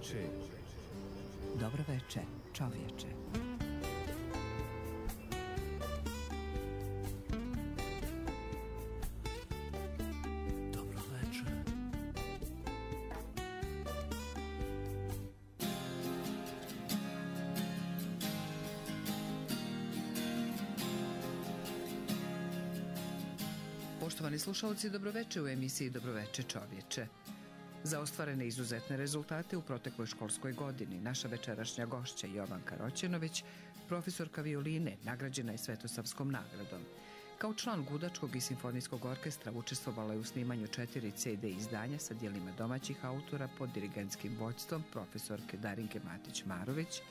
veče. Dobro veče, čovječe. Dobro veče. Poštovani slušalci, dobroveče u emisiji Dobroveče čovječe. Za ostvarene izuzetne rezultate u protekloj školskoj godini naša večerašnja gošća Jovanka Roćenović, profesorka violine, nagrađena je Svetosavskom nagradom. Kao član Gudačkog i simfonijskog orkestra učestvovala je u snimanju 4 CD izdanja sa djelima domaćih autora pod dirigentskim vođstvom profesorke Darinke Matić-Marović.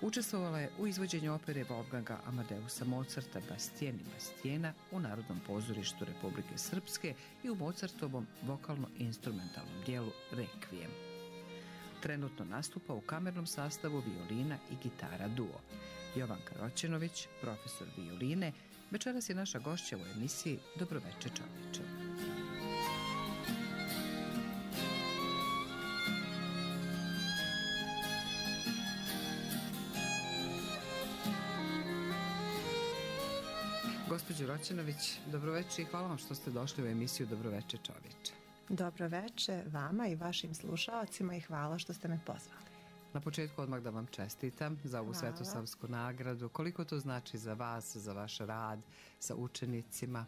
Učestvovala je u izvođenju opere Wolfganga Amadeusa Mozarta Bastien i Bastiena u Narodnom pozorištu Republike Srpske i u Mozartovom vokalno-instrumentalnom dijelu Requiem. Trenutno nastupa u kamernom sastavu violina i gitara duo. Jovanka Roćenović, profesor violine, večeras je naša gošća u emisiji Dobroveče čovječe. Gospođo Roćenović, dobroveče i hvala vam što ste došli u emisiju Dobroveče čovječe. Dobroveče vama i vašim slušalcima i hvala što ste me pozvali. Na početku odmah da vam čestitam za ovu Svetosavsku nagradu. Koliko to znači za vas, za vaš rad sa učenicima?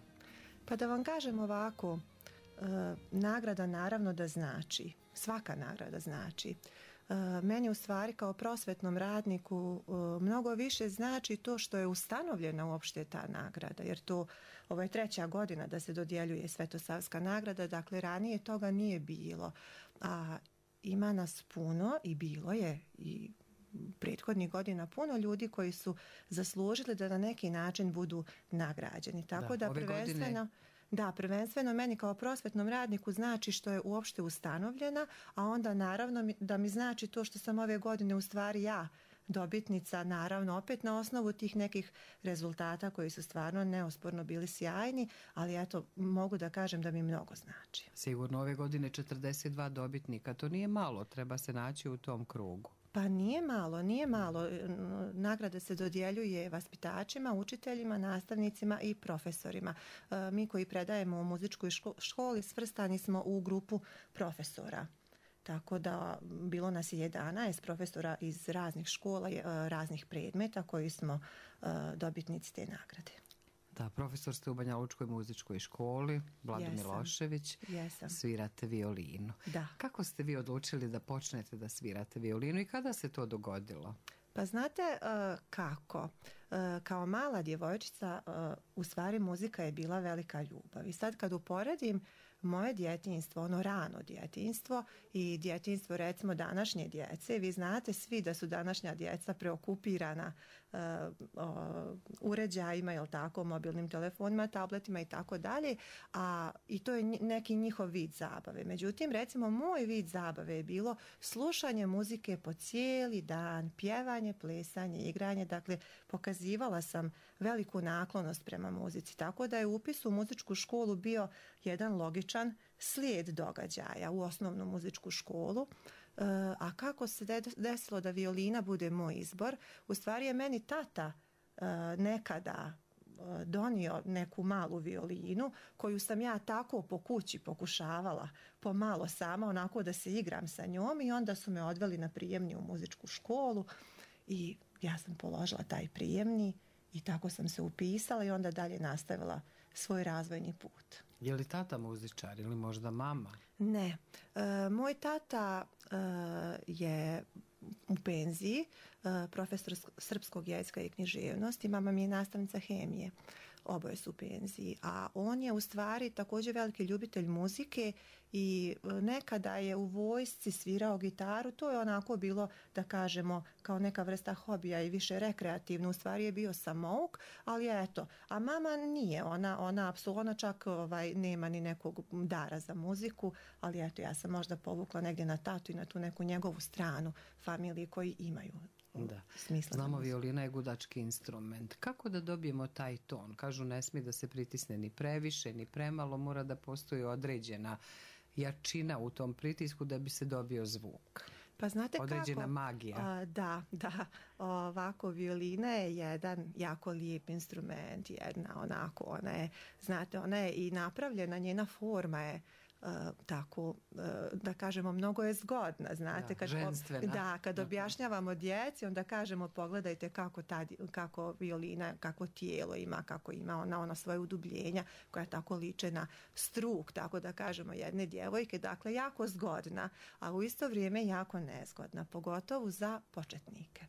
Pa da vam kažem ovako, nagrada naravno da znači, svaka nagrada znači. Meni u stvari kao prosvetnom radniku mnogo više znači to što je ustanovljena uopšte ta nagrada, jer ovo je 3. godina da se dodjeljuje Svetosavska nagrada, dakle ranije toga nije bilo, a ima nas puno i bilo je i prethodnih godina puno ljudi koji su zaslužili da na neki način budu nagrađeni, tako da prvenstveno... Da, prvenstveno meni kao prosvetnom radniku znači što je uopšte ustanovljena, a onda naravno da mi znači to što sam ove godine u stvari ja dobitnica, naravno opet na osnovu tih nekih rezultata koji su stvarno neosporno bili sjajni, ali eto mogu da kažem da mi mnogo znači. Sigurno ove godine 42 dobitnika, to nije malo, treba se naći u tom krugu. Pa nije malo. Nagrada se dodjeljuje vaspitačima, učiteljima, nastavnicima i profesorima. Mi koji predajemo u muzičkoj školi svrstani smo u grupu profesora. Tako da bilo nas je 11 profesora iz raznih škola, raznih predmeta koji smo dobitnici te nagrade. Da, profesor ste u Banja Lučkoj muzičkoj školi, Vlado Milošević, svirate violinu. Da. Kako ste vi odlučili da počnete da svirate violinu i kada se to dogodilo? Pa znate kako? Kao mala djevojčica u stvari muzika je bila velika ljubav. I sad kad uporedim moje djetinjstvo, ono rano djetinjstvo i djetinjstvo recimo današnje djece, vi znate svi da su današnja djeca preokupirana uređajima, jel tako, mobilnim telefonima, tabletima i tako dalje, i to je neki njihov vid zabave. Međutim, recimo moj vid zabave je bilo slušanje muzike po cijeli dan, pjevanje, plesanje, igranje, dakle pokazivala sam veliku naklonost prema muzici, tako da je upis u muzičku školu bio jedan logičan slijed događaja u osnovnu muzičku školu. A kako se desilo da violina bude moj izbor? U stvari je meni tata nekada donio neku malu violinu koju sam ja tako po kući pokušavala pomalo sama onako da se igram sa njom i onda su me odveli na prijemni u muzičku školu i ja sam položila taj prijemni i tako sam se upisala i onda dalje nastavila svoj razvojni put. Je li tata muzičar ili možda mama? Ne. Moj tata je u penziji, profesor srpskog jezika i književnosti, mama mi je nastavnica hemije, oboje su u penziji, a on je u stvari također veliki ljubitelj muzike i nekada je u vojsci svirao gitaru, to je onako bilo da kažemo kao neka vrsta hobija i više rekreativno, u stvari je bio samouk, ali eto, a mama nije, ona apsolutno čak nema ni nekog dara za muziku, ali eto ja sam možda povukla negdje na tatu i na tu neku njegovu stranu familije koji imaju smisla. Znamo, violina je gudački instrument. Kako da dobijemo taj ton? Kažu ne smije da se pritisne ni previše, ni premalo, mora da postoji određena jačina u tom pritisku da bi se dobio zvuk. Pa znate određena kako? magija. Da. Ovako, violina je jedan jako lijep instrument, ona je, znate, ona je i napravljena, njena forma je tako, da kažemo, mnogo je zgodna, znate. Ženstvena. Kad objašnjavamo djeci, onda kažemo pogledajte kako violina, kako tijelo ima, kako ima ona svoje udubljenja koja tako liče na struk, tako da kažemo, jedne djevojke, dakle jako zgodna, a u isto vrijeme jako nezgodna, pogotovo za početnike.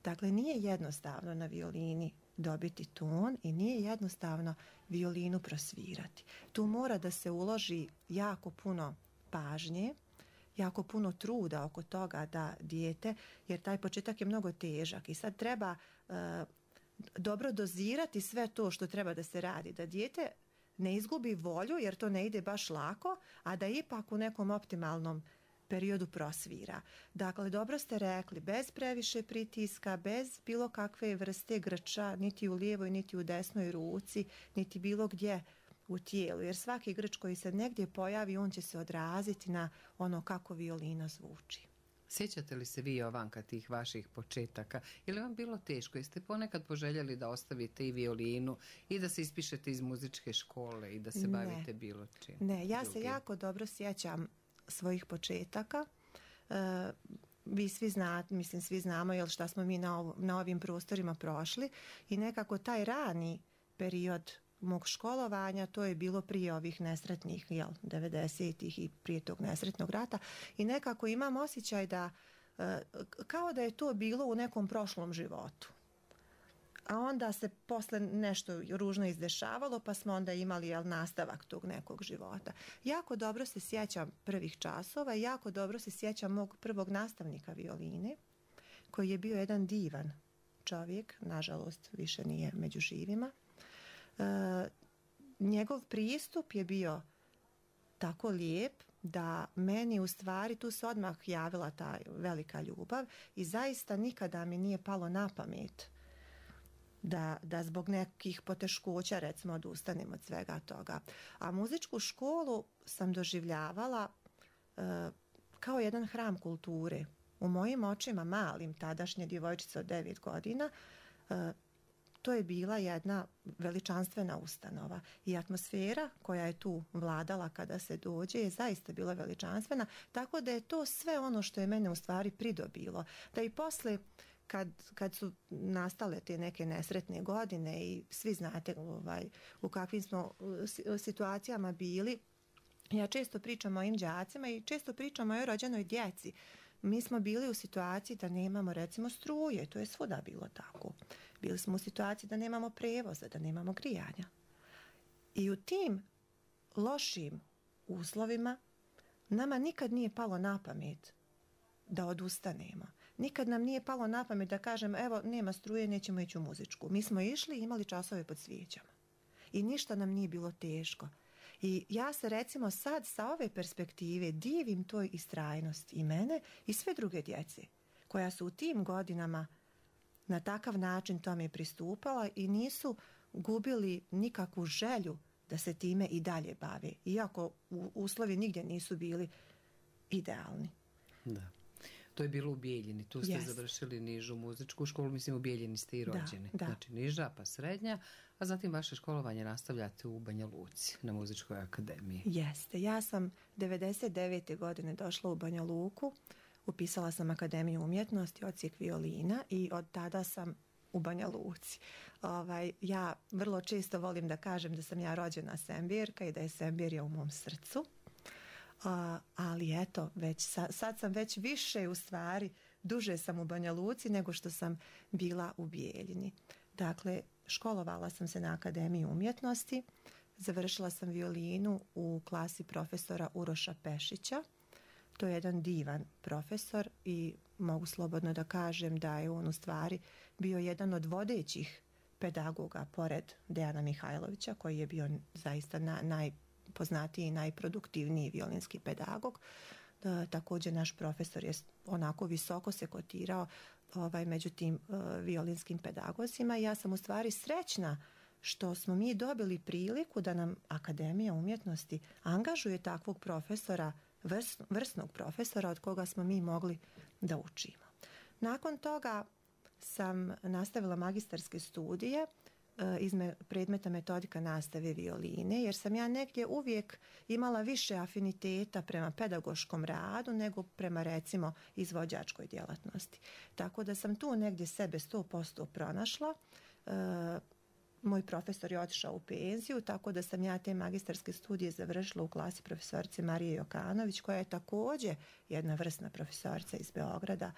Dakle, nije jednostavno na violini dobiti ton i nije jednostavno violinu prosvirati. Tu mora da se uloži jako puno pažnje, jako puno truda oko toga da dijete, jer taj početak je mnogo težak i sad treba dobro dozirati sve to što treba da se radi, da dijete ne izgubi volju jer to ne ide baš lako, a da ipak u nekom optimalnom periodu prosvira. Dakle, dobro ste rekli, bez previše pritiska, bez bilo kakve vrste grča, niti u lijevoj, niti u desnoj ruci, niti bilo gdje u tijelu, jer svaki grč koji se negdje pojavi, on će se odraziti na ono kako violina zvuči. Sjećate li se vi, Jovanka, tih vaših početaka? Je li vam bilo teško? Jeste ponekad poželjeli da ostavite i violinu i da se ispišete iz muzičke škole i da se bavite bilo čim? Ne, ja se jako dobro sjećam svojih početaka. Vi svi znate, mislim svi znamo jel šta smo mi na ovim prostorima prošli i nekako taj rani period mog školovanja, to je bilo prije ovih nesretnih 90-ih i prije tog nesretnog rata i nekako imam osjećaj da kao da je to bilo u nekom prošlom životu. A onda se posle nešto ružno izdešavalo, pa smo onda imali nastavak tog nekog života. Jako dobro se sjećam prvih časova i jako dobro se sjećam mog prvog nastavnika violine, koji je bio jedan divan čovjek, nažalost više nije među živima. Njegov pristup je bio tako lijep da meni u stvari tu se odmah javila ta velika ljubav i zaista nikada mi nije palo na pamet da zbog nekih poteškoća recimo odustanem od svega toga. A muzičku školu sam doživljavala kao jedan hram kulture. U mojim očima malim, tadašnje djevojčice od 9 godina, to je bila jedna veličanstvena ustanova i atmosfera koja je tu vladala kada se dođe je zaista bila veličanstvena, tako da je to sve ono što je mene u stvari pridobilo. Da i posle kad su nastale te neke nesretne godine i svi znate u kakvim smo situacijama bili, ja često pričam o mojim đacima i često pričam o mojoj rođenoj djeci. Mi smo bili u situaciji da nemamo recimo struje, to je svuda bilo tako. Bili smo u situaciji da nemamo prevoza, da nemamo grijanja. I u tim lošim uslovima nama nikad nije palo na pamet da odustanemo. Nikad nam nije palo na pamet da kažem evo nema struje, nećemo ići u muzičku. Mi smo išli i imali časove pod svijećama. I ništa nam nije bilo teško. I ja se recimo sad sa ove perspektive divim toj istrajnosti i mene i sve druge djece koja su u tim godinama na takav način tome pristupala i nisu gubili nikakvu želju da se time i dalje bave. Iako uslovi nigdje nisu bili idealni. Da. To je bilo u Bijeljini, tu ste završili nižu muzičku školu, mislim u Bijeljini ste i rođeni. Da. Znači niža pa srednja, a zatim vaše školovanje nastavljate u Banja Luci na muzičkoj akademiji. Jeste, ja sam 99. godine došla u Banja Luku, upisala sam Akademiju umjetnosti, odsjek violina i od tada sam u Banja Luci. Ja vrlo često volim da kažem da sam ja rođena Sembirka i da je Sembirja u mom srcu. Ali eto, sad sam već više u stvari, duže sam u Banja Luci nego što sam bila u Bijeljini. Dakle, školovala sam se na Akademiji umjetnosti, završila sam violinu u klasi profesora Uroša Pešića. To je jedan divan profesor i mogu slobodno da kažem da je on u stvari bio jedan od vodećih pedagoga pored Dejana Mihajlovića koji je bio zaista najpoznatiji i najproduktivniji violinski pedagog. Također naš profesor je onako visoko se kotirao među tim violinskim pedagozima i ja sam u stvari srećna što smo mi dobili priliku da nam Akademija umjetnosti angažuje takvog profesora vrsnog profesora od koga smo mi mogli da učimo. Nakon toga sam nastavila magistarske studije iz predmeta metodika nastave violine, jer sam ja negdje uvijek imala više afiniteta prema pedagoškom radu nego prema, recimo, izvođačkoj djelatnosti. Tako da sam tu negdje sebe 100% pronašla. Moj profesor je otišao u penziju, tako da sam ja te magistarske studije završila u klasi profesorice Marije Jokanović, koja je također jedna vrsna profesorica iz Beograda.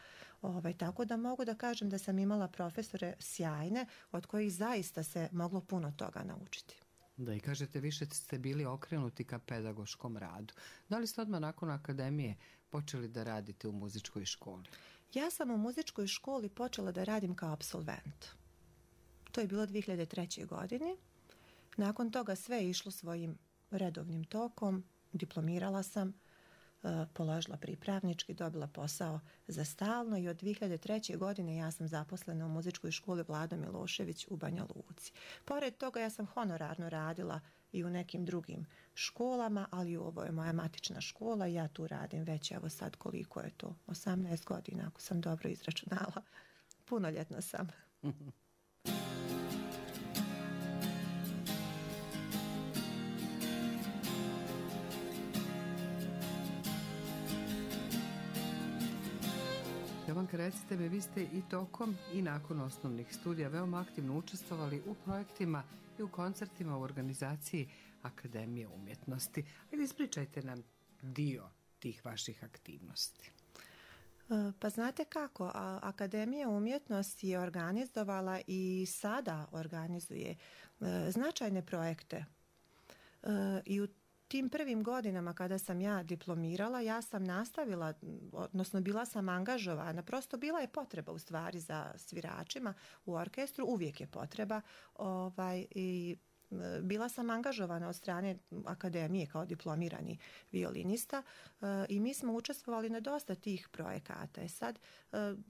Tako da mogu da kažem da sam imala profesore sjajne, od kojih zaista se moglo puno toga naučiti. Da, i kažete, više ste bili okrenuti ka pedagoškom radu. Da li ste odmah nakon akademije počeli da radite u muzičkoj školi? Ja sam u muzičkoj školi počela da radim kao apsolvent. To je bilo 2003. godine. Nakon toga sve je išlo svojim redovnim tokom. Diplomirala sam, položila pripravnički, dobila posao za stalno i od 2003. godine ja sam zaposlena u muzičkoj školi Vlado Milošević u Banja Luci. Pored toga ja sam honorarno radila i u nekim drugim školama, ali ovo je moja matična škola i ja tu radim već, evo sad koliko je to, 18 godina, ako sam dobro izračunala. Punoljetna sam. Jovanka, recite mi, vi ste i tokom i nakon osnovnih studija veoma aktivno učestvovali u projektima i u koncertima u organizaciji Akademije umjetnosti. Ajde, ispričajte nam dio tih vaših aktivnosti. Pa znate kako, Akademija umjetnosti je organizovala i sada organizuje značajne projekte. I u tim prvim godinama kada sam ja diplomirala, ja sam nastavila, odnosno bila sam angažovana, prosto bila je potreba u stvari za sviračima u orkestru, uvijek je potreba, i bila sam angažovana od strane akademije kao diplomirani violinista i mi smo učestvovali na dosta tih projekata. Sad,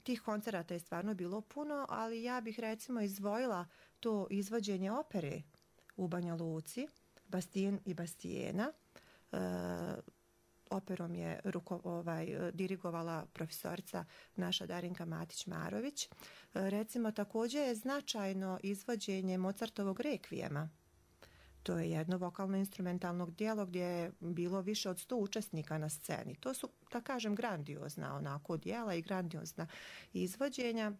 tih koncerata je stvarno bilo puno, ali ja bih recimo izdvojila to izvođenje opere u Banja Luci, Bastijen i Bastijena. Operom je dirigovala profesorica naša Darinka Matić-Marović. Recimo, također je značajno izvođenje Mozartovog rekvijema. To je jedno vokalno-instrumentalno djelo gdje je bilo više od 100 učesnika na sceni. To su, da kažem, grandiozna onako djela i grandiozna izvođenja.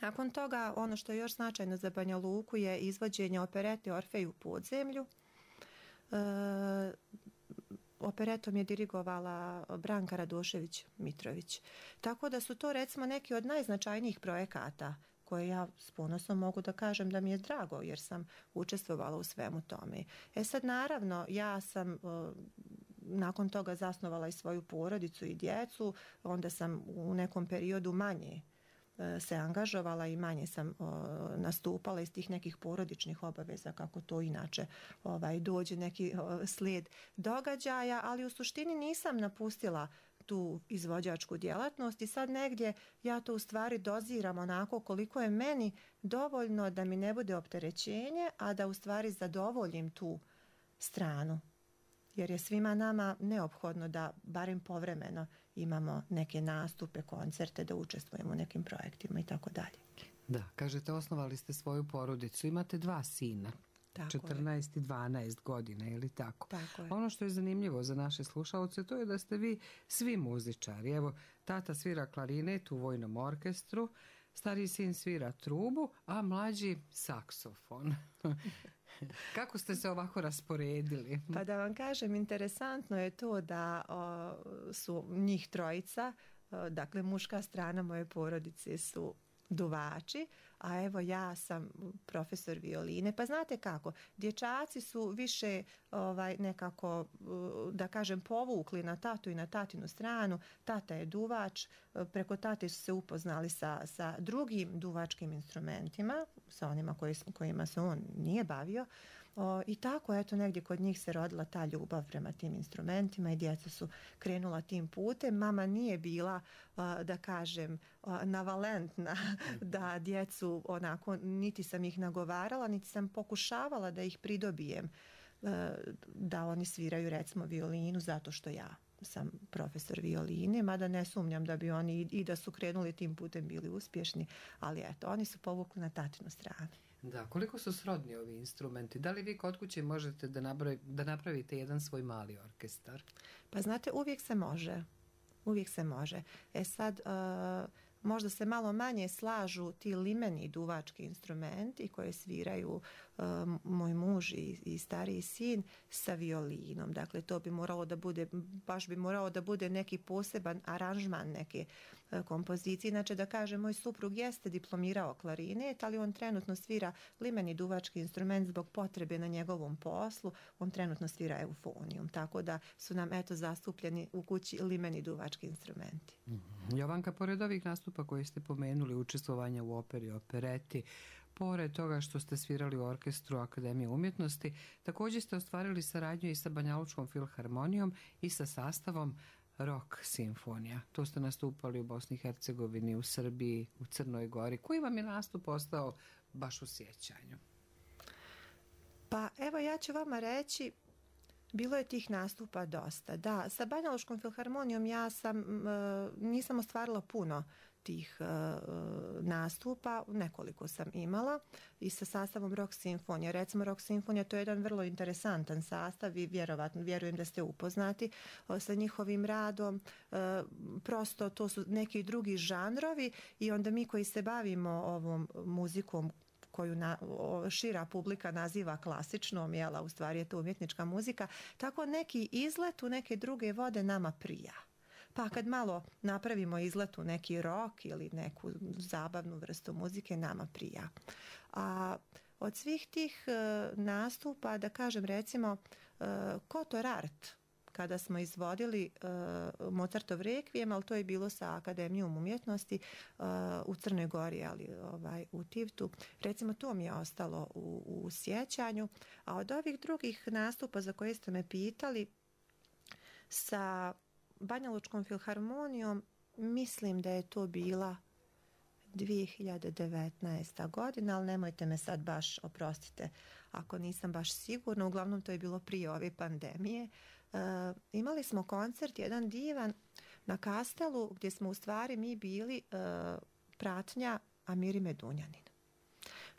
Nakon toga, ono što je još značajno za Banja Luku je izvođenje operete Orfej u podzemlju. Operetom je dirigovala Branka Radošević-Mitrović. Tako da su to, recimo, neki od najznačajnijih projekata koje ja s ponosom mogu da kažem da mi je drago, jer sam učestvovala u svemu tome. Sad, naravno, ja sam nakon toga zasnovala i svoju porodicu i djecu, onda sam u nekom periodu manje se angažovala i manje sam nastupala iz tih nekih porodičnih obaveza, kako to inače dođe neki slijed događaja, ali u suštini nisam napustila tu izvođačku djelatnost i sad negdje ja to u stvari doziram onako koliko je meni dovoljno da mi ne bude opterećenje, a da u stvari zadovoljim tu stranu. Jer je svima nama neophodno da barem povremeno imamo neke nastupe, koncerte, da učestvujemo u nekim projektima i tako dalje. Da, kažete, osnovali ste svoju porodicu, imate 2 sina. Tako 14 i 12 godina, ili tako? Tako je. Ono što je zanimljivo za naše slušalce, to je da ste vi svi muzičari. Evo, tata svira klarinet u vojnom orkestru, stariji sin svira trubu, a mlađi saksofon. Kako ste se ovako rasporedili? Pa da vam kažem, interesantno je to da su njih trojica, dakle muška strana moje porodice su duvači, a evo ja sam profesor violine. Pa znate kako, dječaci su više nekako, da kažem, povukli na tatu i na tatinu stranu. Tata je duvač, preko tate su se upoznali sa drugim duvačkim instrumentima, sa onima kojima se on nije bavio. I tako, eto, negdje kod njih se rodila ta ljubav prema tim instrumentima i djeca su krenula tim putem. Mama nije bila, da kažem, navalentna da djecu onako, niti sam ih nagovarala, niti sam pokušavala da ih pridobijem da oni sviraju, recimo, violinu zato što ja sam profesor violine, mada ne sumnjam da bi oni i da su krenuli tim putem bili uspješni, ali eto, oni su povukli na tatinu stranu. Da, koliko su srodni ovi instrumenti? Da li vi kod kuće možete da napravite jedan svoj mali orkestar? Pa znate, uvijek se može. Uvijek se može. E sad, možda se malo manje slažu ti limeni duvački instrumenti koje sviraju moj muž i stariji sin sa violinom. Dakle, to bi moralo da bude, baš bi moralo da bude neki poseban aranžman neke kompozicije. Inače, da kažem, moj suprug jeste diplomirao klarinet, ali on trenutno svira limeni duvački instrument zbog potrebe na njegovom poslu. On trenutno svira eufonijum, tako da su nam eto zastupljeni u kući limeni duvački instrumenti. Jovanka, pored ovih nastupa koje ste pomenuli, učestvovanja u operi, opereti, pored toga što ste svirali u orkestru Akademije umjetnosti, također ste ostvarili saradnju i sa Banjalučkom filharmonijom i sa sastavom Rock simfonija. To ste nastupali u Bosni i Hercegovini, u Srbiji, u Crnoj Gori. Koji vam je nastup ostao baš u sjećanju? Pa evo, ja ću vama reći, bilo je tih nastupa dosta. Da, sa Banjalučkom filharmonijom nisam ostvarila puno tih nastupa, nekoliko sam imala, i sa sastavom Rock simfonija. Recimo, Rock simfonija, to je jedan vrlo interesantan sastav i vjerujem da ste upoznati sa njihovim radom. Prosto to su neki drugi žanrovi i onda mi koji se bavimo ovom muzikom koju šira publika naziva klasičnom, u stvari je to umjetnička muzika, tako neki izlet u neke druge vode nama prija. Pa kad malo napravimo izlet u neki rock ili neku zabavnu vrstu muzike, nama prija. A od svih tih nastupa, da kažem recimo Kotor Art, kada smo izvodili Mozartov Requiem, ali to je bilo sa Akademijom umjetnosti u Crnoj Gori, ali u Tivtu. Recimo, to mi je ostalo u sjećanju. A od ovih drugih nastupa za koje ste me pitali, sa Banjalučkom filharmonijom, mislim da je to bila 2019. godina, ali nemojte me sad baš, oprostite, ako nisam baš sigurna, uglavnom to je bilo prije ove pandemije. Imali smo koncert, jedan divan, na Kastelu, gdje smo u stvari mi bili pratnja Amiri Medunjanin.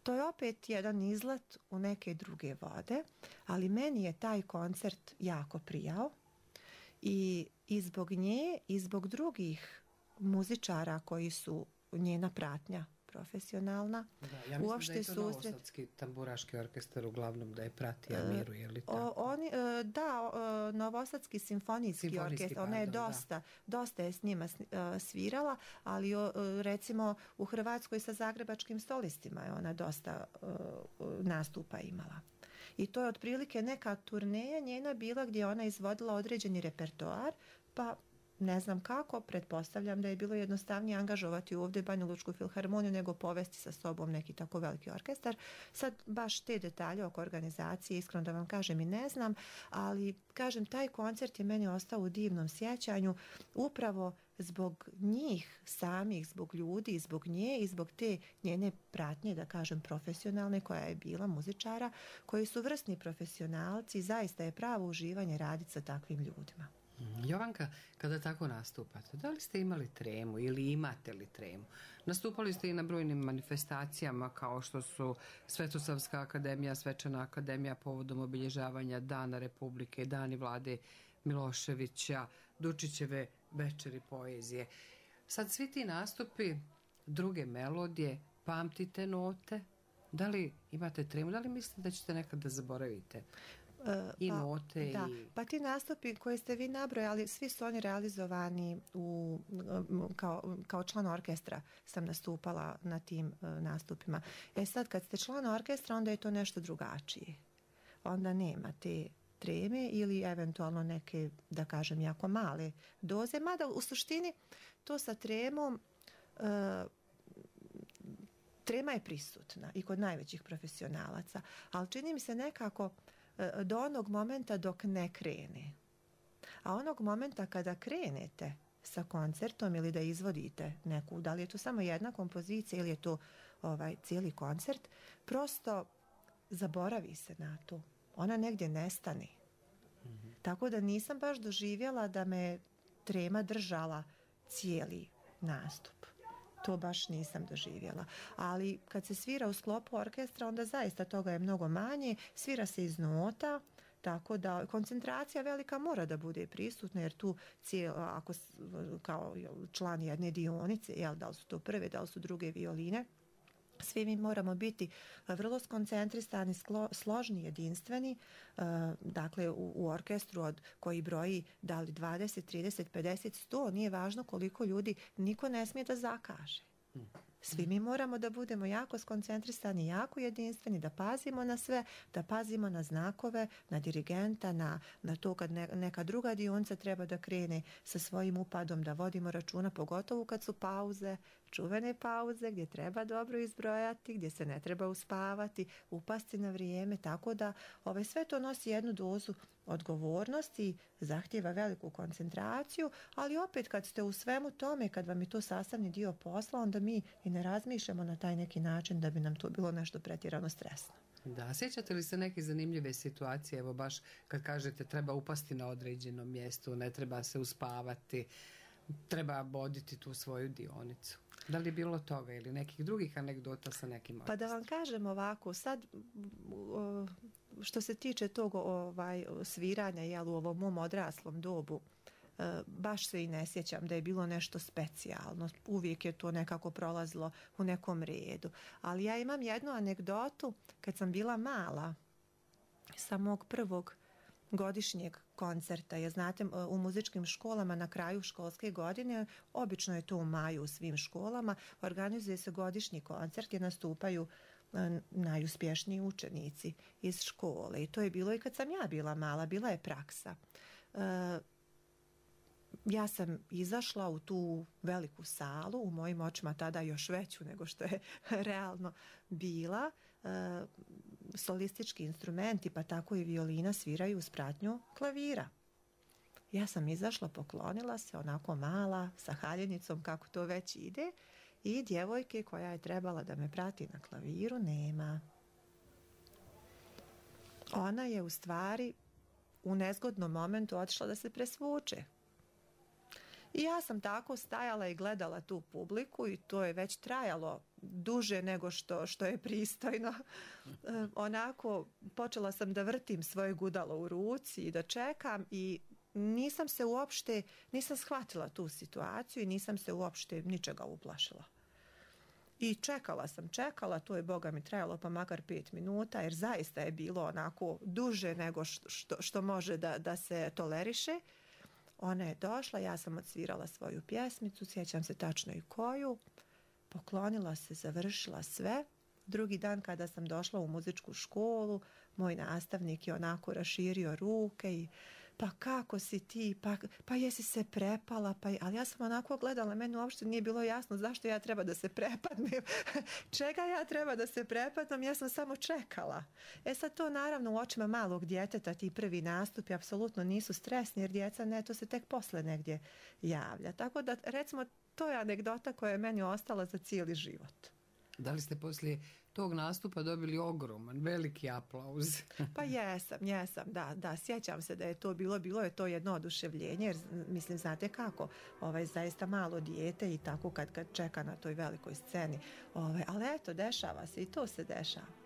To je opet jedan izlet u neke druge vode, ali meni je taj koncert jako prijao i zbog nje i zbog drugih muzičara koji su njena pratnja profesionalna. Da, ja mislim da je to Novosadski tamburaški orkestar uglavnom da je prati Amiru, je li tako? Novosadski simfonijski orkestar, ona je dosta je s njima svirala, ali recimo u Hrvatskoj sa Zagrebačkim solistima je ona dosta nastupa imala. I to je otprilike neka turneja njena bila gdje ona izvodila određeni repertoar, pa ne znam kako, pretpostavljam da je bilo jednostavnije angažovati ovdje Banjalučku filharmoniju nego povesti sa sobom neki tako veliki orkestar. Sad baš te detalje oko organizacije, iskreno da vam kažem, i ne znam, ali kažem, taj koncert je meni ostao u divnom sjećanju upravo zbog njih samih, zbog ljudi, zbog nje i zbog te njene pratnje, da kažem, profesionalne, koja je bila muzičara, koji su vrsni profesionalci, zaista je pravo uživanje raditi sa takvim ljudima. Jovanka, kada tako nastupate, da li ste imali tremu ili imate li tremu? Nastupali ste i na brojnim manifestacijama kao što su Svetosavska akademija, Svečana akademija povodom obilježavanja Dana Republike, Dani Vlade Miloševića, Dučićeve večeri poezije. Sad svi ti nastupi, druge melodije, pamtite note, da li imate tremu, da li mislite da ćete nekad da zaboravite? Note pa ti nastupi koje ste vi nabrojali, svi su oni realizovani kao član orkestra sam nastupala na tim nastupima. Sad kad ste član orkestra, onda je to nešto drugačije. Onda nema te treme ili eventualno neke, da kažem, jako male doze, mada u suštini to sa tremom trema je prisutna i kod najvećih profesionalaca, ali čini mi se nekako do onog momenta dok ne krene. A onog momenta kada krenete sa koncertom ili da izvodite neku, da li je to samo jedna kompozicija ili je to cijeli koncert, prosto zaboravi se na to. Ona negdje nestane. Tako da nisam baš doživjela da me trema držala cijeli nastup. To baš nisam doživjela. Ali kad se svira u sklopu orkestra, onda zaista toga je mnogo manje. Svira se iz nota, tako da koncentracija velika mora da bude prisutna, jer tu ako kao član jedne dionice, da li su to prve, da li su druge violine, svi mi moramo biti vrlo skoncentrisani, složni, jedinstveni, dakle u orkestru koji broji da li 20, 30, 50, 100, nije važno koliko ljudi, niko ne smije da zakaže. Svi mi moramo da budemo jako skoncentrisani, jako jedinstveni, da pazimo na sve, da pazimo na znakove, na dirigenta, na to kad neka druga dionica treba da krene sa svojim upadom, da vodimo računa, pogotovo kad su pauze, čuvene pauze gdje treba dobro izbrojati, gdje se ne treba uspavati, upasti na vrijeme, tako da sve to nosi jednu dozu odgovornosti, zahtjeva veliku koncentraciju, ali opet kad ste u svemu tome, kad vam je to sastavni dio posla, onda mi i ne razmišljamo na taj neki način da bi nam to bilo nešto pretjerano stresno. Da, sjećate li se neke zanimljive situacije, evo baš kad kažete treba upasti na određenom mjestu, ne treba se uspavati, treba voditi tu svoju dionicu? Da li je bilo toga ili nekih drugih anegdota sa nekim orkestrom? Pa da vam kažem ovako, sad što se tiče tog sviranja u ovom mom odraslom dobu, baš se i ne sjećam da je bilo nešto specijalno. Uvijek je to nekako prolazilo u nekom redu. Ali ja imam jednu anegdotu kad sam bila mala sa mog prvog godišnjeg koncerta. Ja znate, u muzičkim školama na kraju školske godine, obično je to u maju u svim školama, organizuje se godišnji koncert gdje nastupaju najuspješniji učenici iz škole. I to je bilo i kad sam ja bila mala, bila je praksa. Ja sam izašla u tu veliku salu, u mojim očima tada još veću nego što je realno bila. Solistički instrumenti, pa tako i violina, sviraju uz pratnju klavira. Ja sam izašla, poklonila se, onako mala, sa haljenicom, kako to već ide, i djevojke koja je trebala da me prati na klaviru nema. Ona je u stvari u nezgodnom momentu otišla da se presvuče. I ja sam tako stajala i gledala tu publiku i to je već trajalo duže nego što je pristojno. Onako, počela sam da vrtim svoje gudalo u ruci i da čekam i nisam shvatila tu situaciju i nisam se uopšte ničega uplašila. I čekala, to je Boga mi trajalo pa makar 5 minuta, jer zaista je bilo onako duže nego što može da se toleriše. Ona je došla, ja sam odsvirala svoju pjesmicu, sjećam se tačno i koju, poklonila se, završila sve. Drugi dan kada sam došla u muzičku školu, moj nastavnik je onako raširio ruke i pa kako si ti, pa jesi se prepala, ali ja sam onako gledala, meni uopšte nije bilo jasno zašto ja treba da se prepadnem, čega ja treba da se prepadnem, ja sam samo čekala. Sad to naravno u očima malog djeteta, ti prvi nastupi apsolutno nisu stresni, jer djeca ne, to se tek posle negdje javlja. Tako da recimo to je anegdota koja je meni ostala za cijeli život. Da li ste poslije tog nastupa dobili ogroman, veliki aplauz? Pa jesam, da, sjećam se da je to bilo je to jedno oduševljenje, jer mislim, znate kako, zaista malo dijete i tako kad čeka na toj velikoj sceni, ali eto, dešava se i to se dešava.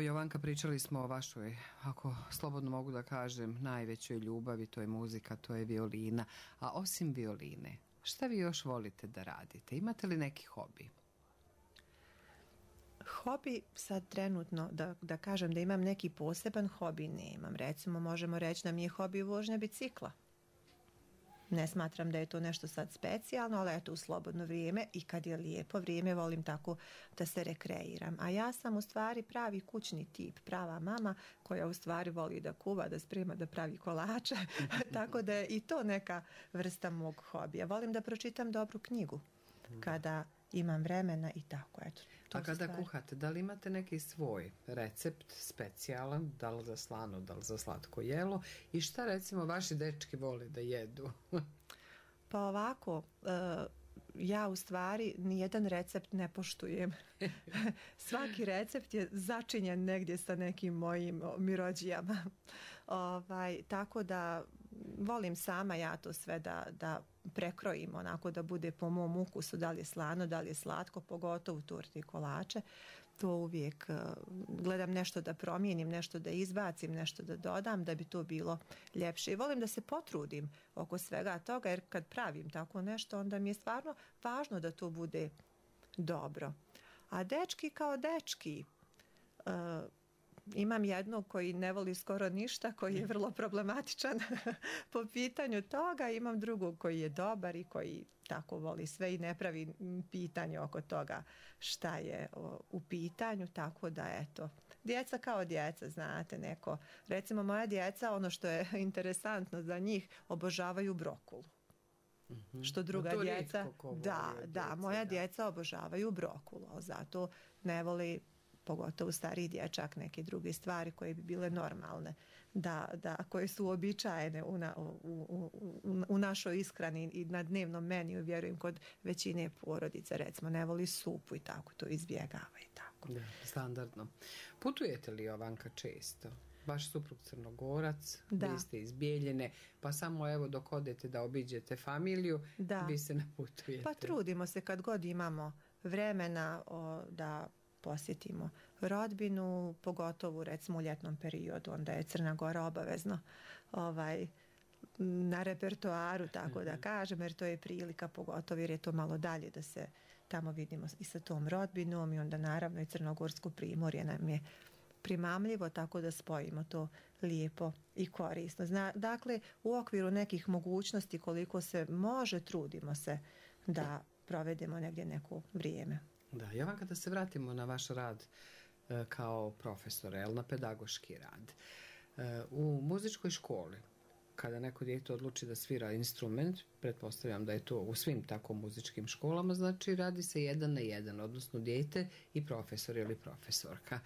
Evo Jovanka, pričali smo o vašoj, ako slobodno mogu da kažem, najvećoj ljubavi, to je muzika, to je violina. A osim violine, šta vi još volite da radite? Imate li neki hobi? Hobi, sad trenutno, da kažem da imam neki poseban hobi, nemam. Recimo, možemo reći da mi je hobi vožnja bicikla. Ne smatram da je to nešto sad specijalno, ali eto u slobodno vrijeme i kad je lijepo vrijeme volim tako da se rekreiram. A ja sam u stvari pravi kućni tip, prava mama koja u stvari voli da kuva, da sprema, da pravi kolače. Tako da je i to neka vrsta mog hobija. Volim da pročitam dobru knjigu kada imam vremena i tako, eto. A kada kuhate, da li imate neki svoj recept specijalan, da li za slano, da li za slatko jelo i šta recimo vaši dečki vole da jedu? Pa ovako, ja u stvari nijedan recept ne poštujem. Svaki recept je začinjen negdje sa nekim mojim mirođijama. Tako da volim sama ja to sve da prekrojim onako da bude po mom ukusu, da li je slano, da li je slatko, pogotovo torte i kolače. To uvijek gledam nešto da promijenim, nešto da izbacim, nešto da dodam da bi to bilo ljepše. I volim da se potrudim oko svega toga, jer kad pravim tako nešto, onda mi je stvarno važno da to bude dobro. A dečki kao dečki, imam jednog koji ne voli skoro ništa, koji je vrlo problematičan po pitanju toga. Imam drugog koji je dobar i koji tako voli sve i ne pravi pitanje oko toga šta je u pitanju. Tako da eto, djeca kao djeca, znate, neko. Recimo moja djeca, ono što je interesantno za njih, obožavaju brokulu. Što druga djeca, moja djeca obožavaju brokulu, zato ne voli, pogotovo stariji dječak, neke druge stvari koje bi bile normalne, koje su uobičajene u našoj ishrani i na dnevnom meniju, vjerujem kod većine porodica, recimo ne voli supu i tako, to izbjegava i tako. Da, standardno. Putujete li, Jovanka, često? Vaš suprug Crnogorac, vi ste iz Bijeljine, pa samo evo dok odete da obiđete familiju, vi se ne putujete. Pa trudimo se kad god imamo vremena da posjetimo rodbinu, pogotovo recimo u ljetnom periodu, onda je Crna Gora obavezno na repertoaru, tako da kažem, jer to je prilika, pogotovo jer je to malo dalje da se tamo vidimo i sa tom rodbinom i onda naravno i Crnogorsko primorje nam je primamljivo, tako da spojimo to lijepo i korisno. Dakle, u okviru nekih mogućnosti koliko se može, trudimo se da provedemo negdje neko vrijeme. Da, Jovanka, da se vratimo na vaš rad kao profesor, na pedagoški rad. U muzičkoj školi, kada neko dijete odluči da svira instrument, pretpostavljam da je to u svim tako muzičkim školama, znači radi se 1 na 1, odnosno dijete i profesor ili profesorka.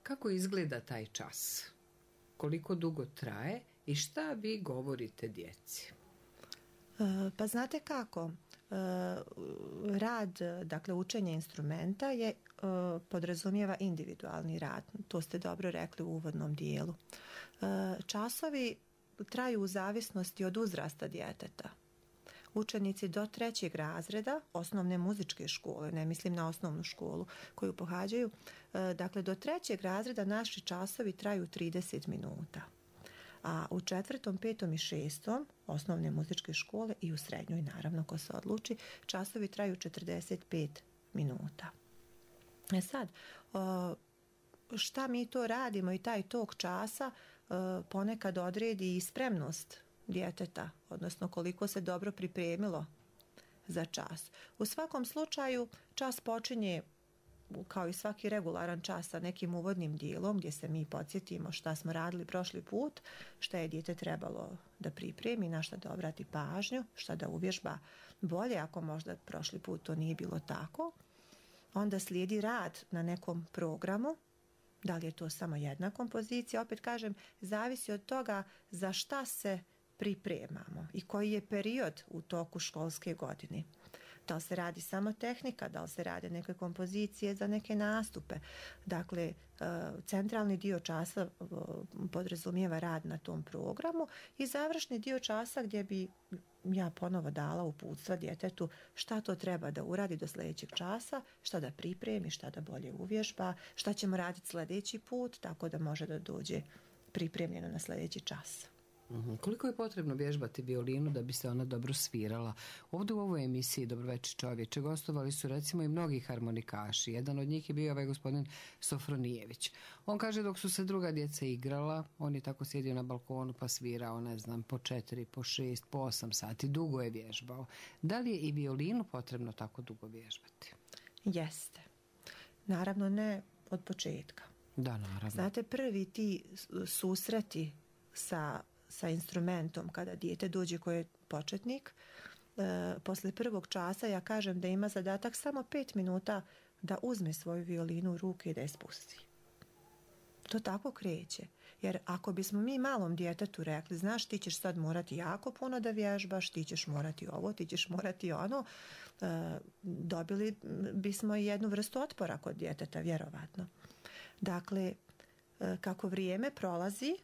Kako izgleda taj čas? Koliko dugo traje i šta vi govorite djeci? Pa znate kako? Rad, dakle učenje instrumenta podrazumijeva individualni rad. To ste dobro rekli u uvodnom dijelu. Časovi traju u zavisnosti od uzrasta djeteta. Učenici do 3. razreda osnovne muzičke škole, ne mislim na osnovnu školu koju pohađaju, dakle do 3. razreda naši časovi traju 30 minuta. A u 4., 5. i 6. osnovne muzičke škole i u srednjoj, naravno, ko se odluči, časovi traju 45 minuta. Sad, šta mi to radimo i taj tok časa ponekad odredi i spremnost djeteta, odnosno koliko se dobro pripremilo za čas. U svakom slučaju, čas počinje kao i svaki regularan čas sa nekim uvodnim dijelom gdje se mi podsjetimo šta smo radili prošli put, šta je dijete trebalo da pripremi, na šta da obrati pažnju, šta da uvježba bolje ako možda prošli put to nije bilo tako. Onda slijedi rad na nekom programu, da li je to samo jedna kompozicija, opet kažem, zavisi od toga za šta se pripremamo i koji je period u toku školske godine. Da li se radi samo tehnika, da li se rade neke kompozicije za neke nastupe. Dakle, centralni dio časa podrazumijeva rad na tom programu i završni dio časa gdje bi ja ponovo dala uputstva djetetu šta to treba da uradi do sljedećeg časa, šta da pripremi, šta da bolje uvježba, šta ćemo raditi sljedeći put, tako da može da dođe pripremljeno na sljedeći čas. Koliko je potrebno vježbati violinu da bi se ona dobro svirala? Ovdje u ovoj emisiji Dobroveče čovječe gostovali su recimo i mnogi harmonikaši. Jedan od njih je bio ovaj gospodin Sofronijević. On kaže dok su se druga djeca igrala, on je tako sjedio na balkonu pa svirao, ne znam, po 4, po 6, po 8 sati. Dugo je vježbao. Da li je i violinu potrebno tako dugo vježbati? Jeste. Naravno ne od početka. Da, naravno. Znate, prvi ti susreti sa instrumentom kada dijete dođe koji je početnik, posle prvog časa ja kažem da ima zadatak samo 5 minuta da uzme svoju violinu u ruke i da je spusti. To tako kreće. Jer ako bismo mi malom djetetu rekli, znaš, ti ćeš sad morati jako puno da vježbaš, ti ćeš morati ovo, ti ćeš morati ono, dobili bismo i jednu vrstu otpora kod djeteta, vjerovatno. Dakle, kako vrijeme prolazi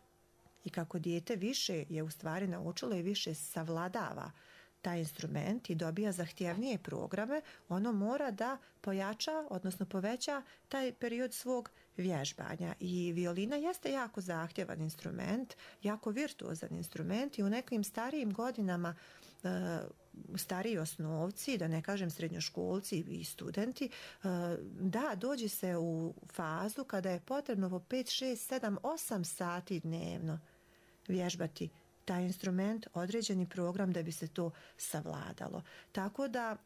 i kako dijete više je u stvari naučilo i više savladava taj instrument i dobija zahtjevnije programe, ono mora da pojača, odnosno poveća taj period svog vježbanja. I violina jeste jako zahtjevan instrument, jako virtuozan instrument i u nekim starijim godinama stariji osnovci, da ne kažem srednjoškolci i studenti, da, dođe se u fazu kada je potrebno po 5, 6, 7, 8 sati dnevno vježbati taj instrument, određeni program da bi se to savladalo. Tako da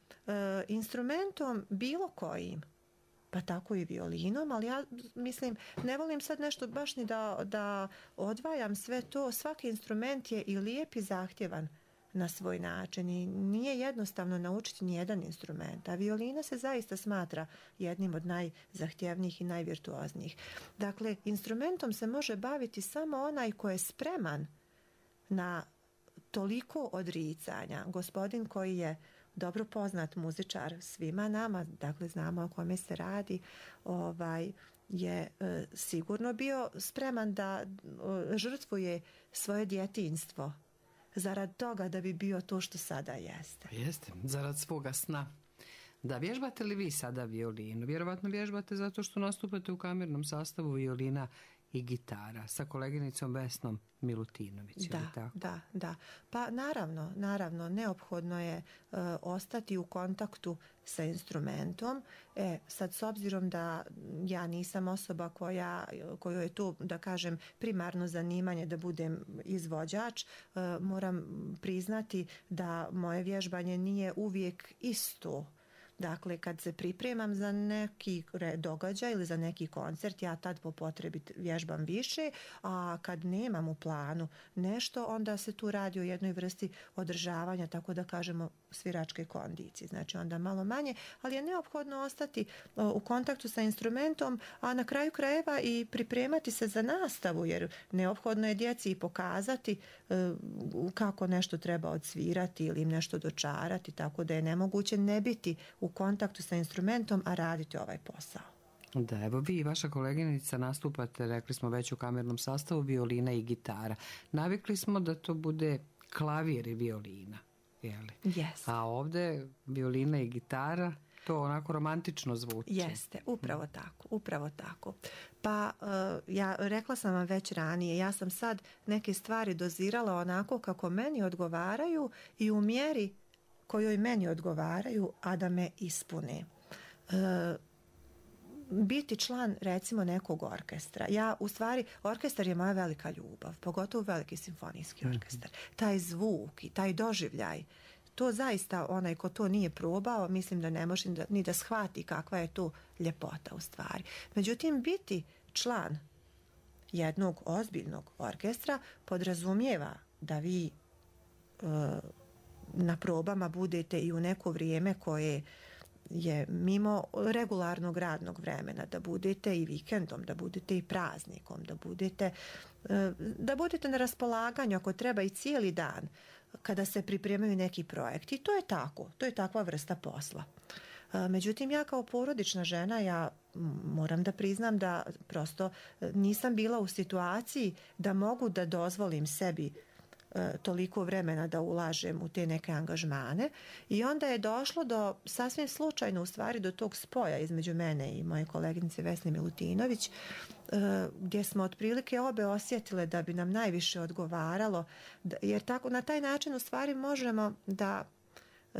instrumentom bilo kojim, pa tako i violinom, ali ja mislim, ne volim sad nešto baš ni da odvajam sve to. Svaki instrument je i lijep i zahtjevan na svoj način i nije jednostavno naučiti nijedan instrument, a violina se zaista smatra jednim od najzahtjevnijih i najvirtuoznijih. Dakle, instrumentom se može baviti samo onaj ko je spreman na toliko odricanja. Gospodin koji je dobro poznat muzičar svima nama, dakle znamo o kome se radi, je sigurno bio spreman da žrtvuje svoje djetinjstvo zarad toga da bi bio to što sada jeste. Jeste, zarad svoga sna. Da, vježbate li vi sada violinu? Vjerovatno vježbate zato što nastupate u kamernom sastavu violina i gitara sa koleginicom Vesnom Milutinović. Da. Pa naravno, neophodno je ostati u kontaktu sa instrumentom. Sad, s obzirom da ja nisam osoba kojoj je to, da kažem, primarno zanimanje da budem izvođač, moram priznati da moje vježbanje nije uvijek isto. Dakle, kad se pripremam za neki događaj ili za neki koncert, ja tad po potrebi vježbam više, a kad nemam u planu nešto, onda se tu radi o jednoj vrsti održavanja, tako da kažemo, sviračke kondicije. Znači onda malo manje, ali je neophodno ostati u kontaktu sa instrumentom, a na kraju krajeva i pripremati se za nastavu, jer neophodno je djeci i pokazati kako nešto treba odsvirati ili im nešto dočarati, tako da je nemoguće ne biti u kontaktu sa instrumentom, a raditi ovaj posao. Da, evo vi i vaša koleginica nastupate, rekli smo već u kamernom sastavu, violina i gitara. Navikli smo da to bude klavir i violina. Yes. A ovdje violina i gitara, to onako romantično zvuči. Jeste, upravo tako. Pa ja rekla sam vam već ranije, ja sam sad neke stvari dozirala onako kako meni odgovaraju i u mjeri kojoj meni odgovaraju, a da me ispune. Biti član, recimo, nekog orkestra. Orkestar je moja velika ljubav, pogotovo veliki simfonijski orkestar. Taj zvuk i taj doživljaj, to zaista onaj ko to nije probao, mislim da ne može ni da shvati kakva je to ljepota u stvari. Međutim, biti član jednog ozbiljnog orkestra podrazumijeva da vi na probama budete i u neko vrijeme koje je mimo regularnog radnog vremena, da budete i vikendom, da budete i praznikom, da budete na raspolaganju ako treba i cijeli dan. kada se pripremaju neki projekti. I to je tako, to je takva vrsta posla. Međutim, ja kao porodična žena, ja moram da priznam da prosto nisam bila u situaciji da mogu da dozvolim sebi toliko vremena da ulažem u te neke angažmane i onda je došlo do sasvim slučajno u stvari do tog spoja između mene i moje koleginice Vesne Milutinović, gdje smo otprilike obe osjetile da bi nam najviše odgovaralo, jer tako na taj način u stvari možemo da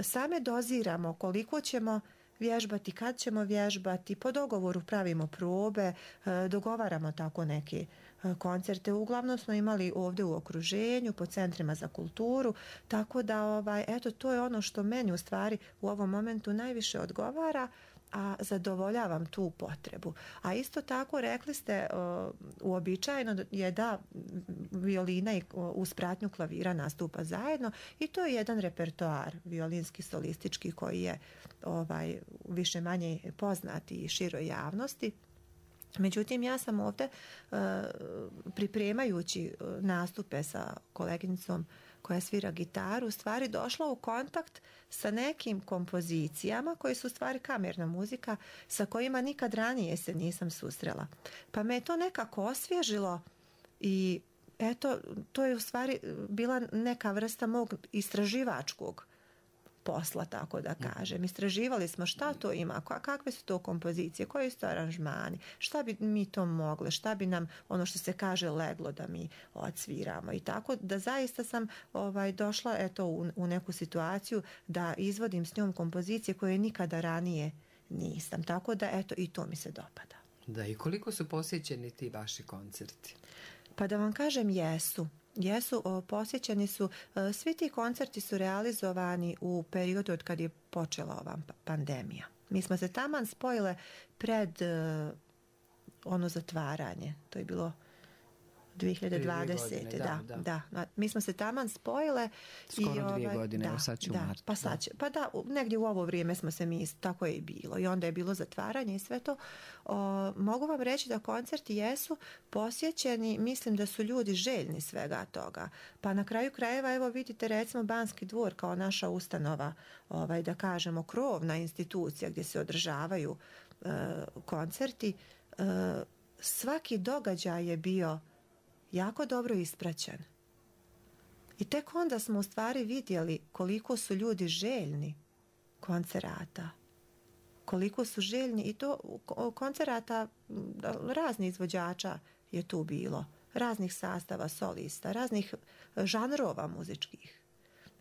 same doziramo koliko ćemo vježbati, kad ćemo vježbati, po dogovoru pravimo probe, dogovaramo tako neke koncerte. Uglavnom smo imali ovdje u okruženju, po centrima za kulturu, tako da eto, to je ono što meni u stvari u ovom momentu najviše odgovara, a zadovoljavam tu potrebu. A isto tako rekli ste, uobičajeno je da violina i uz pratnju klavira nastupa zajedno i to je jedan repertoar violinski solistički koji je više manje poznat i široj javnosti. Međutim, ja sam ovdje pripremajući nastupe sa koleginicom koja svira gitaru, u stvari došla u kontakt sa nekim kompozicijama koje su u stvari kamerna muzika sa kojima nikad ranije se nisam susrela. Pa me je to nekako osvježilo i eto, to je u stvari bila neka vrsta mog istraživačkog posla, tako da kažem. Istraživali smo šta to ima, kakve su to kompozicije, koji su to aranžmani, šta bi mi to mogli, šta bi nam, ono što se kaže, leglo da mi odsviramo. I tako da zaista sam došla eto u neku situaciju da izvodim s njom kompozicije koje nikada ranije nisam. Tako da eto i to mi se dopada. Da, i koliko su posjećeni ti vaši koncerti? Pa da vam kažem, jesu, posjećeni su, svi ti koncerti su realizovani u periodu od kad je počela ova pandemija. Mi smo se taman spojile pred ono zatvaranje, to je bilo 2020. Godine, da. Mi smo se taman spojile. Skoro 2 godine, evo sad će u martu. Pa da, negdje u ovo vrijeme smo se mi, tako je i bilo. I onda je bilo zatvaranje i sve to. Mogu vam reći da koncerti jesu posjećeni, mislim da su ljudi željni svega toga. Pa na kraju krajeva, evo vidite recimo Banski dvor kao naša ustanova, da kažemo krovna institucija gdje se održavaju koncerti. Svaki događaj je bio jako dobro ispraćen. I tek onda smo u stvari vidjeli koliko su ljudi željni koncerata. Koliko su željni i to koncerata raznih izvođača je tu bilo. Raznih sastava, solista, raznih žanrova muzičkih.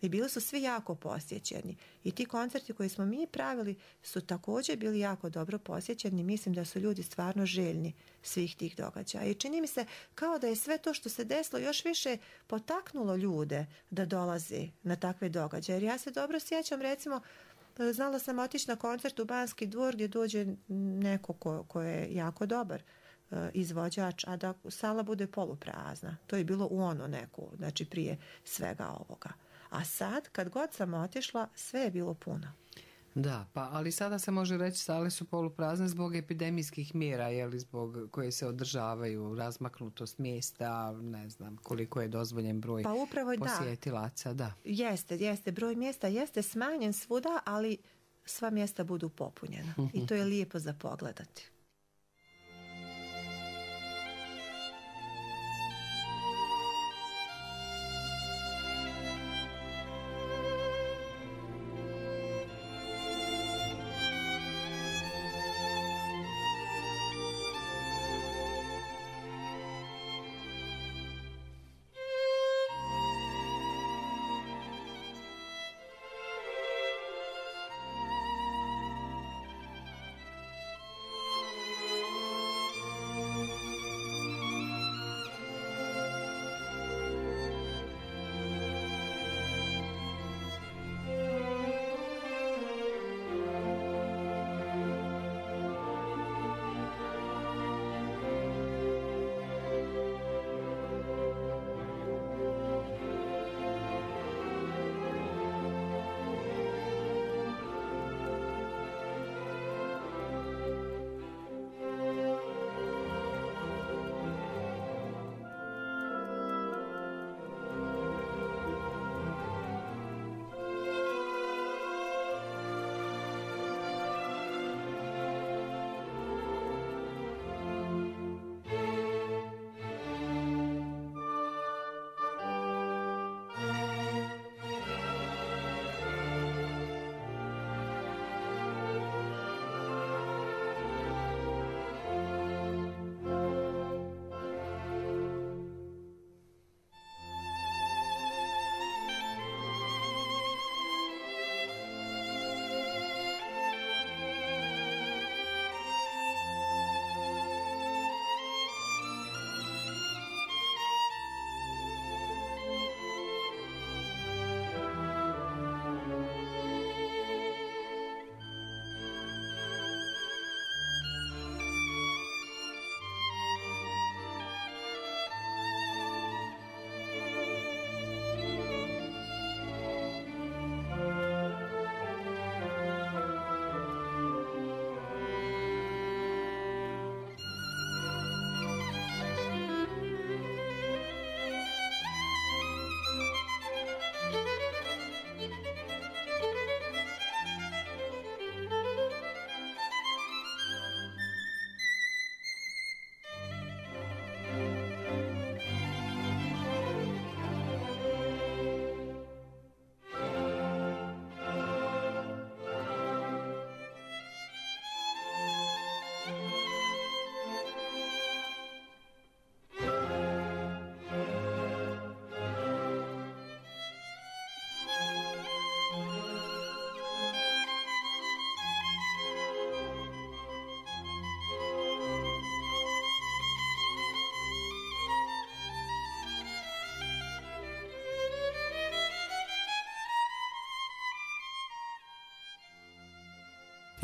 I bili su svi jako posjećeni. I ti koncerti koje smo mi pravili su također bili jako dobro posjećeni. Mislim da su ljudi stvarno željni svih tih događaja. I čini mi se kao da je sve to što se desilo još više potaknulo ljude da dolaze na takve događaje. Jer ja se dobro sjećam, recimo, znala sam otići na koncert u Banski dvor gdje dođe neko ko je jako dobar izvođač, a da sala bude poluprazna. To je bilo u ono neku, znači prije svega ovoga. A sad, kad god sam otišla, sve je bilo puno. Da, ali sada se može reći sale su poluprazne zbog epidemijskih mjera, zbog koje se održavaju, razmaknutost mjesta, ne znam koliko je dozvoljen broj posjetilaca. Da. Jeste, broj mjesta jeste smanjen svuda, ali sva mjesta budu popunjena. I to je lijepo za pogledati.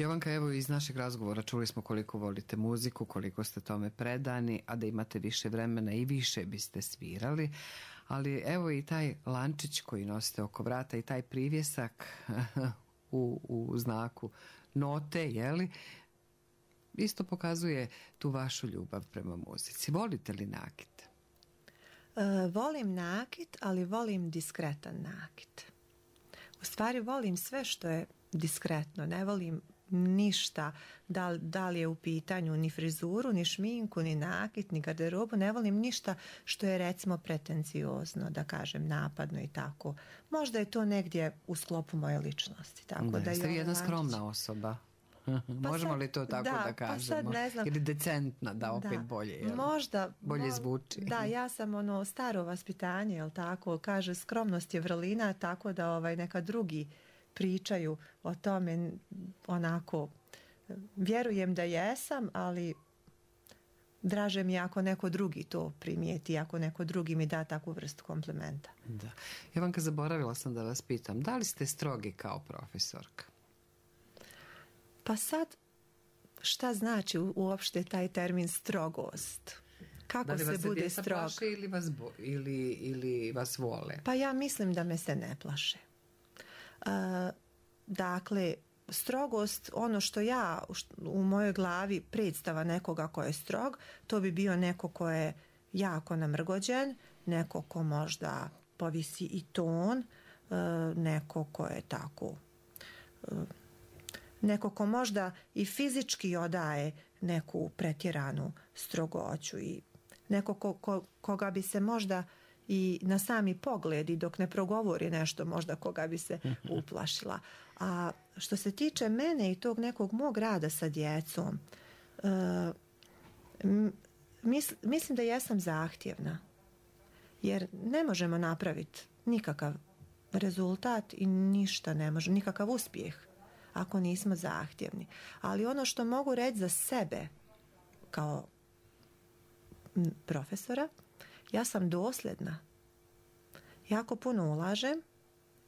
Jovanka, evo iz našeg razgovora čuli smo koliko volite muziku, koliko ste tome predani, a da imate više vremena i više biste svirali. Ali evo i taj lančić koji nosite oko vrata i taj privjesak u znaku note, jeli, isto pokazuje tu vašu ljubav prema muzici. Volite li nakit? Volim nakit, ali volim diskretan nakit. U stvari volim sve što je diskretno. Ne volim ništa, da li je u pitanju ni frizuru, ni šminku, ni nakit, ni garderobu. Ne volim ništa što je recimo pretenciozno, da kažem napadno i tako. Možda je to negdje u sklopu moje ličnosti. Tako da ste vi jedna skromna osoba. Možemo li to tako da kažemo? Pa sad ne znam. Ili decentna, da opet bolje, jel? Bolje zvuči. Da, ja sam staro vaspitanje, jel tako? Kaže, skromnost je vrlina, tako da neka drugi pričaju o tome, onako, vjerujem da jesam, ali draže mi ako neko drugi to primijeti, ako neko drugi mi da takvu vrstu komplimenta. Da. Jovanka, zaboravila sam da vas pitam, da li ste strogi kao profesorka? Pa sad, šta znači uopšte taj termin strogost? Kako se bude strog? Da li vas se djeca plaše ili vas vole? Pa ja mislim da me se ne plaše. Dakle, strogost, ono što ja u mojoj glavi predstava nekoga ko je strog, to bi bio neko ko je jako namrgođen, neko ko možda povisi i ton, neko ko je tako, neko ko možda i fizički odaje neku pretjeranu strogoću i neko koga bi se možda i na sami pogled i dok ne progovori nešto možda koga bi se uplašila. A što se tiče mene i tog nekog mog rada sa djecom, mislim da jesam zahtjevna. Jer ne možemo napraviti nikakav rezultat i ništa ne može, nikakav uspjeh ako nismo zahtjevni. Ali ono što mogu reći za sebe kao profesora, ja sam dosljedna. Jako puno ulažem,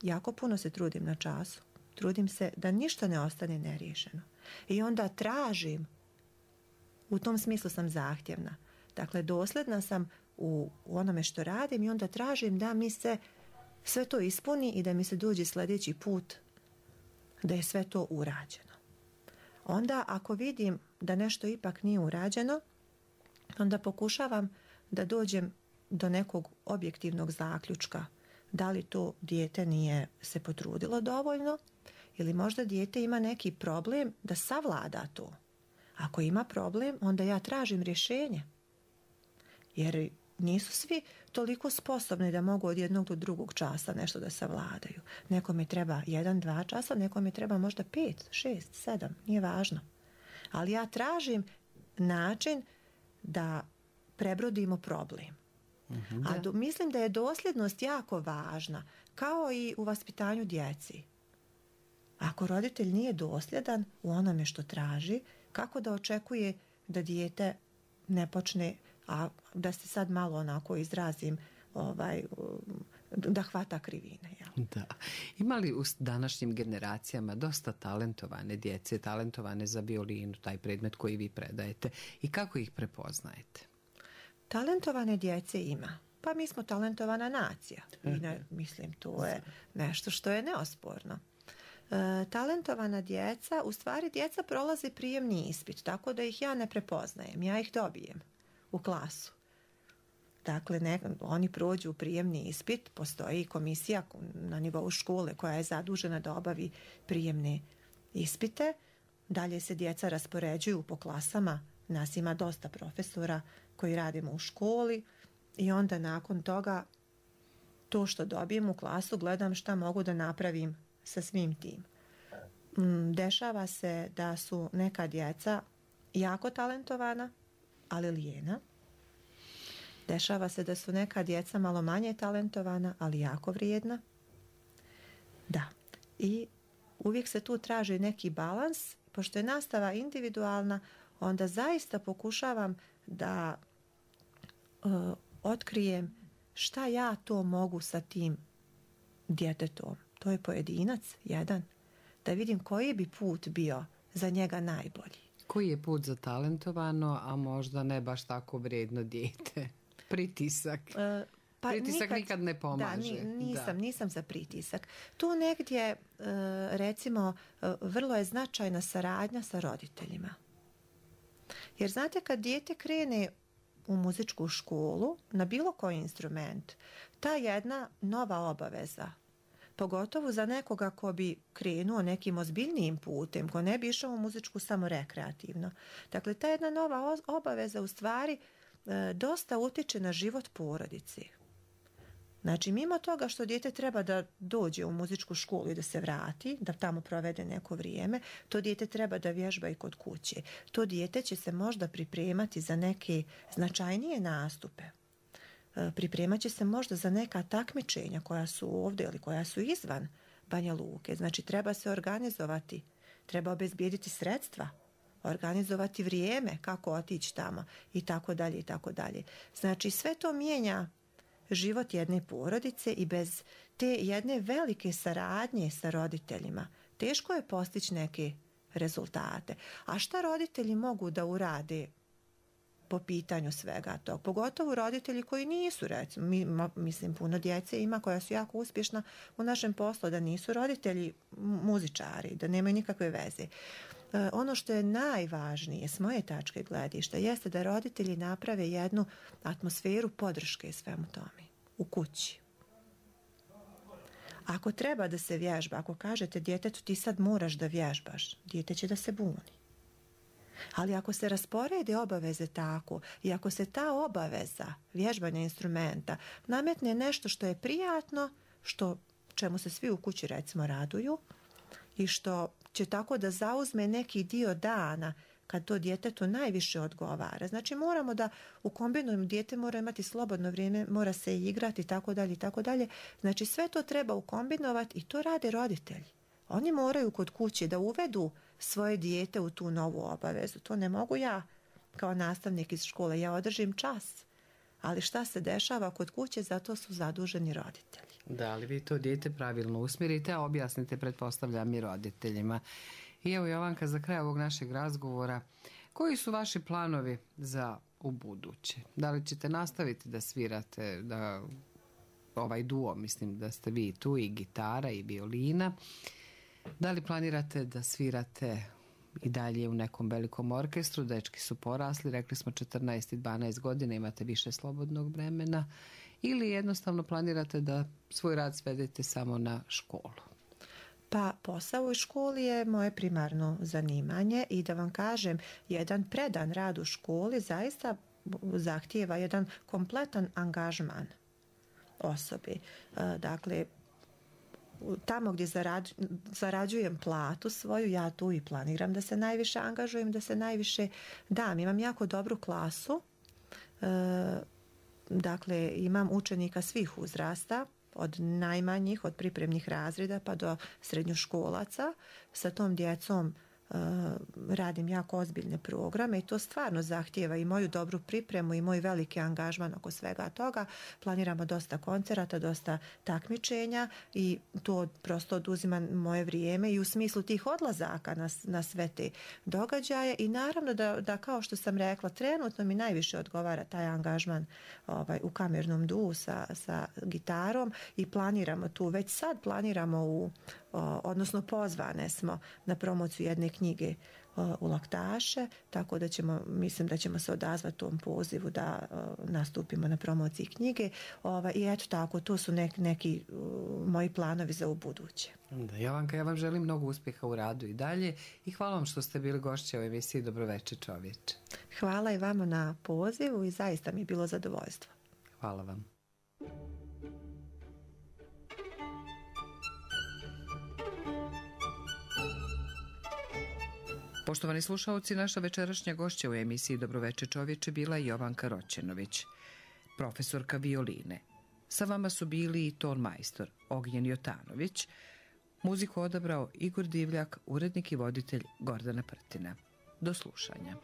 jako puno se trudim na času. Trudim se da ništa ne ostane neriješeno. I onda tražim, u tom smislu sam zahtjevna. Dakle, dosljedna sam u onome što radim i onda tražim da mi se sve to ispuni i da mi se dođe sljedeći put da je sve to urađeno. Onda ako vidim da nešto ipak nije urađeno, onda pokušavam da dođem do nekog objektivnog zaključka. Da li to dijete nije se potrudilo dovoljno ili možda dijete ima neki problem da savlada to. Ako ima problem, onda ja tražim rješenje. Jer nisu svi toliko sposobni da mogu od jednog do drugog časa nešto da savladaju. Nekome treba 1-2 časa, nekome treba možda 5, 6, 7, nije važno. Ali ja tražim način da prebrodimo problem. A mislim da je dosljednost jako važna, kao i u vaspitanju djeci. Ako roditelj nije dosljedan u onome što traži, kako da očekuje da dijete ne počne, a da se sad malo onako izrazim, da hvata krivine. Ja. Da. Ima li u današnjim generacijama dosta talentovane djece, talentovane za violinu, taj predmet koji vi predajete, i kako ih prepoznajete? Talentovane djece ima. Pa mi smo talentovana nacija. Mislim, to je nešto što je neosporno. Talentovana djeca, u stvari djeca prolaze prijemni ispit, tako da ih ja ne prepoznajem, ja ih dobijem u klasu. Dakle, oni prođu prijemni ispit, postoji komisija na nivou škole koja je zadužena da obavi prijemne ispite. Dalje se djeca raspoređuju po klasama, nas ima dosta profesora koji radimo u školi i onda nakon toga to što dobijem u klasu gledam šta mogu da napravim sa svim tim. Dešava se da su neka djeca jako talentovana, ali lijena. Dešava se da su neka djeca malo manje talentovana, ali jako vrijedna. Da. I uvijek se tu traži neki balans. Pošto je nastava individualna, onda zaista pokušavam da otkrijem šta ja to mogu sa tim djetetom. To je pojedinac, jedan. Da vidim koji bi put bio za njega najbolji. Koji je put za talentovano, a možda ne baš tako vrijedno dijete? Pritisak. Pritisak nikad ne pomaže. Nisam za pritisak. Tu negdje, recimo, vrlo je značajna saradnja sa roditeljima. Jer znate, kad dijete krene u muzičku školu, na bilo koji instrument, ta jedna nova obaveza, pogotovo za nekoga ko bi krenuo nekim ozbiljnijim putem, ko ne bi išao u muzičku samo rekreativno. Dakle, ta jedna nova obaveza u stvari dosta utiče na život porodici. Znači, mimo toga što dijete treba da dođe u muzičku školu i da se vrati, da tamo provede neko vrijeme, to dijete treba da vježba i kod kuće. To dijete će se možda pripremati za neke značajnije nastupe. Pripremat će se možda za neka takmičenja koja su ovdje ili koja su izvan Banja Luke. Znači, treba se organizovati, treba obezbijediti sredstva, organizovati vrijeme kako otići tamo i tako dalje i tako dalje. Znači, sve to mijenja život jedne porodice i bez te jedne velike saradnje sa roditeljima teško je postići neke rezultate. A šta roditelji mogu da urade po pitanju svega tog? Pogotovo roditelji koji nisu, recimo, mislim, puno djece ima koja su jako uspješna u našem poslu, da nisu roditelji muzičari, da nemaju nikakve veze. Ono što je najvažnije s moje tačke gledišta jeste da roditelji naprave jednu atmosferu podrške svemu tome u kući. Ako treba da se vježba, ako kažete djetetu ti sad moraš da vježbaš, dijete će da se buni. Ali ako se rasporede obaveze tako i ako se ta obaveza vježbanja instrumenta nametne nešto što je prijatno, čemu se svi u kući recimo raduju i što će tako da zauzme neki dio dana kad to djetetu najviše odgovara. Znači, moramo da ukombinujemo, dijete mora imati slobodno vrijeme, mora se igrati i tako dalje i tako dalje. Znači, sve to treba ukombinovati i to rade roditelji. Oni moraju kod kuće da uvedu svoje dijete u tu novu obavezu. To ne mogu ja kao nastavnik iz škole. Ja održim čas. Ali šta se dešava kod kuće, zato su zaduženi roditelji. Da, ali vi to dijete pravilno usmjerite, a objasnite, pretpostavljam, i roditeljima. I evo, Jovanka, za kraj ovog našeg razgovora, koji su vaši planovi za ubuduće? Da li ćete nastaviti da svirate, da ovaj duo, mislim da ste vi tu, i gitara i violina? Da li planirate da svirate i dalje u nekom velikom orkestru? Dečki su porasli, rekli smo 14 i 12 godina, imate više slobodnog vremena, ili jednostavno planirate da svoj rad svedete samo na školu? Pa posao u školi je moje primarno zanimanje i da vam kažem, jedan predan rad u školi zaista zahtijeva jedan kompletan angažman osobe. Dakle, tamo gdje zarađujem platu svoju, ja tu i planiram da se najviše angažujem, da se najviše dam. Imam jako dobru klasu, dakle imam učenika svih uzrasta, od najmanjih, od pripremnih razreda pa do srednjoškolaca. Sa tom djecom radim jako ozbiljne programe i to stvarno zahtijeva i moju dobru pripremu i moj veliki angažman oko svega toga. Planiramo dosta koncerata, dosta takmičenja i to prosto oduzima moje vrijeme i u smislu tih odlazaka na sve te događaje i naravno da kao što sam rekla, trenutno mi najviše odgovara taj angažman u kamernom duu sa gitarom i planiramo tu, već sad planiramo odnosno pozvane smo na promociju jedne knjige u Laktaše, tako da mislim da ćemo se odazvati tom pozivu da nastupimo na promociji knjige i eto tako, to su neki moji planovi za ubuduće. Da, Jovanka, ja vam želim mnogo uspjeha u radu i dalje i hvala vam što ste bili gošća u emisiji Dobroveče čovječe. Hvala i vama na pozivu i zaista mi je bilo zadovoljstvo. Hvala vam. Poštovani slušalci, naša večerašnja gošća u emisiji Dobroveče čovječe bila je Jovanka Roćenović, profesorka violine. Sa vama su bili i tonmajstor Ognjen Jotanović, muziku odabrao Igor Divljak, urednik i voditelj Gordana Prtina. Do slušanja.